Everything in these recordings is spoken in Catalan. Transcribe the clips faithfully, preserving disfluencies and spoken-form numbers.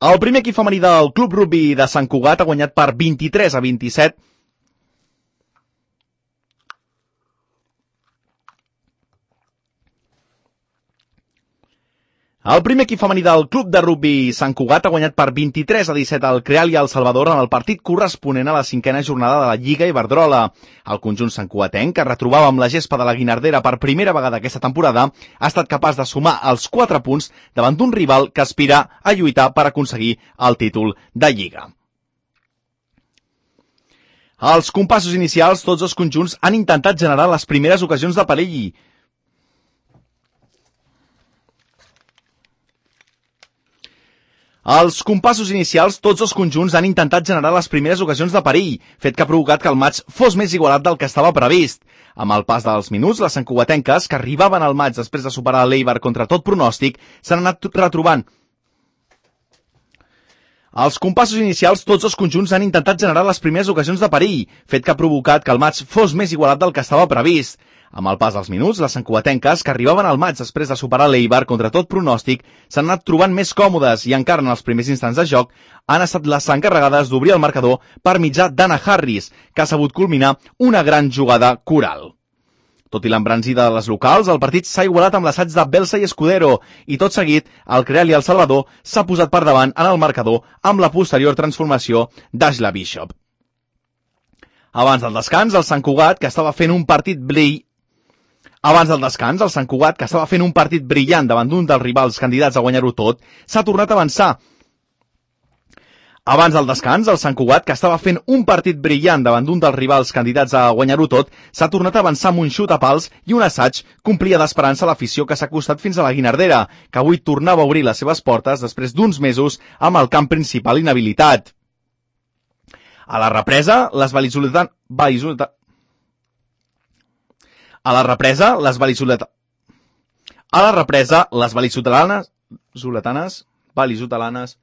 El primer equip femení del Club Rugby de Sant Cugat ha guanyat per vint-i-tres a vint-i-set El primer equip femení del Club de Rugby Sant Cugat ha guanyat per vint-i-tres a disset al Creal i al Salvador en el partit corresponent a la cinquena jornada de la Lliga Iberdrola. El conjunt santcugatenc, que retrobava amb la gespa de la Guinardera per primera vegada aquesta temporada, ha estat capaç de sumar els quatre punts davant d'un rival que aspira a lluitar per aconseguir el títol de Lliga. Als compassos inicials, tots els conjunts han intentat generar les primeres ocasions de perill. Als compassos inicials, tots els conjunts han intentat generar les primeres ocasions de perill, fet que ha provocat que el maig fos més igualat del que estava previst. Amb el pas dels minuts, les santcugatenques, que arribaven al maig després de superar l'Eibar contra tot pronòstic, s'han anat retrobant. Als compassos inicials, tots els conjunts han intentat generar les primeres ocasions de perill, fet que ha provocat que el maig fos més igualat del que estava previst. Amb el pas dels minuts, les santcugatenques, que arribaven al maig després de superar l'Eibar contra tot pronòstic, s'han anat trobant més còmodes i encara en els primers instants de joc han estat les encarregades d'obrir el marcador per mitjà d'Anna Harris, que ha sabut culminar una gran jugada coral. Tot i l'embranzida de les locals, el partit s'ha igualat amb l'assaig de Belsa i Escudero i tot seguit el Creal i el Salvador s'ha posat per davant en el marcador amb la posterior transformació d'Ashla Bishop. Abans del descans, el Sant Cugat, que estava fent un partit brill Abans del descans, el Sant Cugat, que estava fent un partit brillant davant d'un dels rivals candidats a guanyar-ho tot, s'ha tornat a avançar. Abans del descans, el Sant Cugat, que estava fent un partit brillant davant d'un dels rivals candidats a guanyar-ho tot, s'ha tornat a avançar amb un xut a pals i un assaig que omplia d'esperança l'afició que s'ha acostat fins a la Guinardera, que avui tornava a obrir les seves portes després d'uns mesos amb el camp principal inhabilitat. A la represa, les vallisoletanes... A la represa, les vallisoletanes... A la represa, les vallisoletanes... Zoletanes... Vallisotelanes...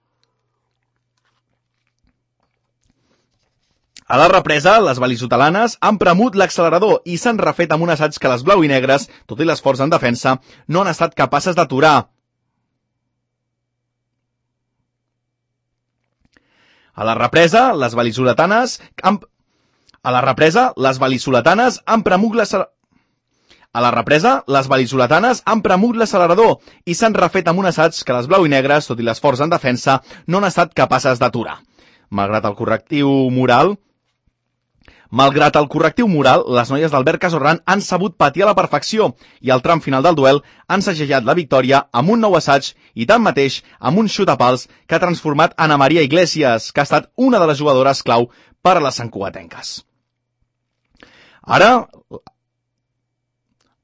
A la represa, les vallisotelanes han premut l'accelerador i s'han refet amb un assaig que les blau i negres, tot i l'esforç en defensa, no han estat capaces d'aturar. A la represa, les vallisoletanes han... A la represa, les vallisoletanes han premut l'accelerador... A la represa, les vallisoletanes han premut l'accelerador i s'han refet amb un assaig que les blau i negres, tot i l'esforç en defensa, no han estat capaces d'aturar. Malgrat el correctiu moral... Malgrat el correctiu moral, les noies d'Albert Casorran han sabut patir a la perfecció i al tram final del duel han segellat la victòria amb un nou assaig i tanmateix amb un xut a pals que ha transformat Ana Maria Iglesias, que ha estat una de les jugadores clau per a les santcugatenques. Ara...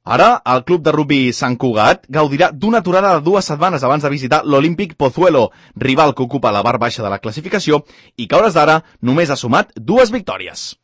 Ara, el Club de Rugby Sant Cugat gaudirà d'una aturada de dues setmanes abans de visitar l'Olímpic Pozuelo, rival que ocupa la part baixa de la classificació i que a hores d'ara només ha sumat dues victòries.